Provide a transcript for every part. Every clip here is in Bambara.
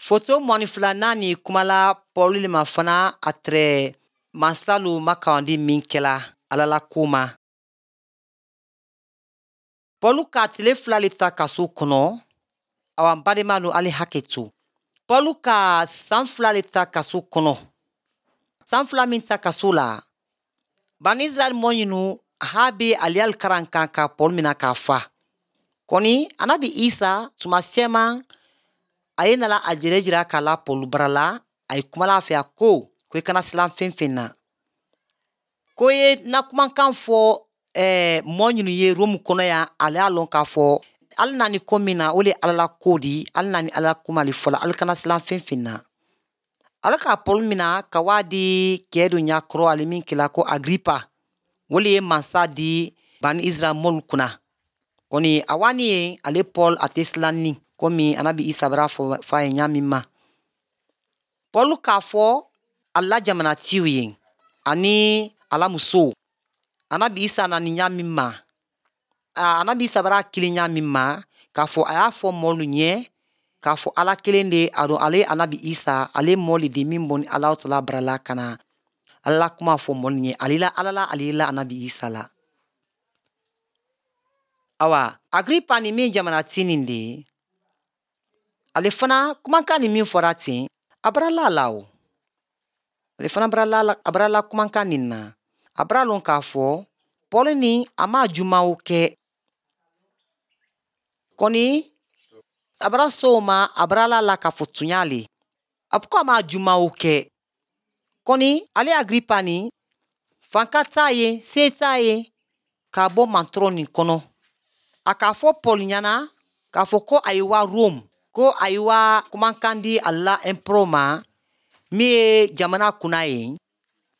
Foto 22nan nin kumala Pɔlu le ma fana a tɛrɛ mansalu makawandi min kɛla Ala la ko ma. Pɔlu ka tile 2 le ta kaso kɔnɔ. Awa, n badenmalu, ali hakɛ to. Pɔlu ka san 2 le ta kaso kɔnɔ. San 2 min ta kaso la, bani Israɛl mɔ ɲinu ha be aliyali karan kan ka Pɔlu mina k'a fa. Kɔni anabi Isa tuma sɛman a ye nala a jɛrɛ jira k'a la Pɔlu bara la, a ye kumala a fɛ, a ko i kana silan fɛn fɛn na. Ko ye na kumakan fɔ mɔ ɲinu ye Romu kɔnɔ yan, ale y'a lɔn k'a fɔ hali n'a ni ko min na, o le Ala la ko di, hali n'a ni Ala kuma le fɔla, ali kana silan fɛn fɛn na. Ala ka Pɔlu mina ka waa di kɛ do ɲakɔrɔ, ale min kɛla ko Agripa, o le ye mansa di bani Israɛl mɔlu kunna. Kɔni a wani ye ale Paul a tɛ silan ni komi anabi Isa bara fɔ fa ye ɲa min ma. Paul k'a fɔ ala jamanatiw ye ani ala muso, anabi Isa nani ɲa min ma, anabi Isa bara kili ɲa min ma, k'a fɔ a y'a fɔ mɔlu ɲɛ k'a fɔ Ala kelen de a don, ale anabi Isa ale mɔli di min bɔ ni Ala tala barala ka na Ala la kuma fɔ mɔlu ɲɛ, ale la Ala la, ale la anabi Isa la. Awa, Agripa ni min jamana ti nin de ye, ale fana kumakan ni min fɔra ten, a bara la la o. Ale fana bara la, a bara la kumakan nin na. A bara lɔn k'a fɔ Pɔli ni a ma jumaw kɛ. Kɔni a bara so ma, a bara la la k'a fɔ tunya le. A ko a ma jumaw kɛ. Kɔni ale Agripa ni fanka t'a ye, se t'a ye k'a bɔ mantɔrɔ nin kɔnɔ. A k'a fɔ Pɔli ɲɛna k'a fɔ ko a ye wa Rome, ko a ye wa kumakan di a la empereur ma min ye jamana kunna ye,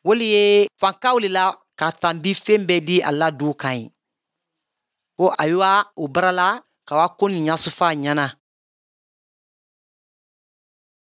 o le ye fankaw le la ka tanbi fɛn bɛɛ di a la du kan ye. Ko a ye wa o bara la ka wa ko nin ɲɛsufa ɲɛna.